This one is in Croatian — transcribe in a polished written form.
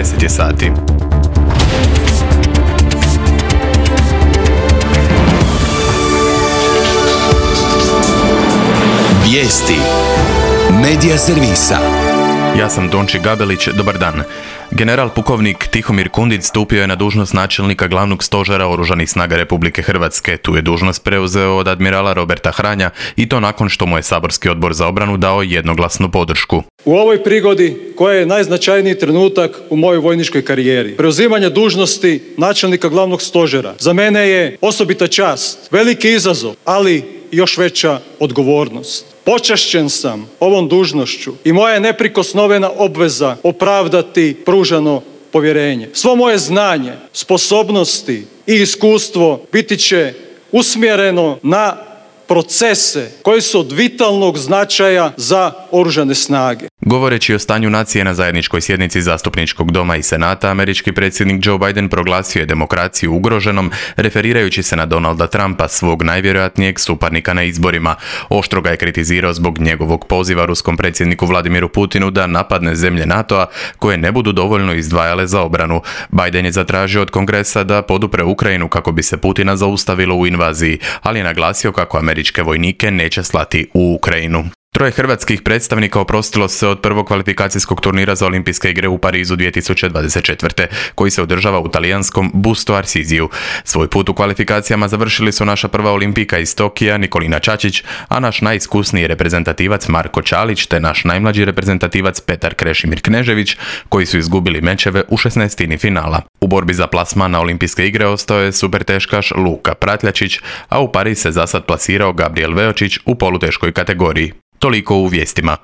10 je sati. Vijesti Medija servisa. Ja sam Donči Gabelić, dobar dan. General pukovnik Tihomir Kundić stupio je na dužnost načelnika glavnog stožera Oružanih snaga Republike Hrvatske. Tu je dužnost preuzeo od admirala Roberta Hranja i to nakon što mu je saborski odbor za obranu dao jednoglasnu podršku. U ovoj prigodi, koja je najznačajniji trenutak u mojoj vojničkoj karijeri, preuzimanje dužnosti načelnika glavnog stožera, za mene je osobita čast, veliki izazov, ali još veća odgovornost. Počašćen sam ovom dužnošću i moja je neprikosnovena obveza opravdati pružano povjerenje. Svo moje znanje, sposobnosti i iskustvo biti će usmjereno na procese koji su od vitalnog značaja za Oružane snage. Govoreći o stanju nacije na zajedničkoj sjednici Zastupničkog doma i Senata, američki predsjednik Joe Biden proglasio je demokraciju ugroženom, referirajući se na Donalda Trumpa, svog najvjerojatnijeg suparnika na izborima. Oštro ga je kritizirao zbog njegovog poziva ruskom predsjedniku Vladimiru Putinu da napadne zemlje NATO-a koje ne budu dovoljno izdvajale za obranu. Biden je zatražio od Kongresa da podupre Ukrajinu kako bi se Putina zaustavilo u invaziji, ali je naglasio kako američke vojnike neće slati u Ukrajinu. 3 hrvatskih predstavnika oprostilo se od prvog kvalifikacijskog turnira za olimpijske igre u Parizu 2024. koji se održava u talijanskom Busto Arsiziju. Svoj put u kvalifikacijama završili su naša prva olimpijka iz Tokija Nikolina Čačić, a naš najiskusniji reprezentativac Marko Čalić te naš najmlađi reprezentativac Petar Krešimir Knežević, koji su izgubili mečeve u 16. finala. U borbi za plasman na olimpijske igre ostao je superteškaš Luka Pratljačić, a u Pariz se zasad plasirao Gabriel Veočić u poluteškoj kategoriji. Toliko u vijestima.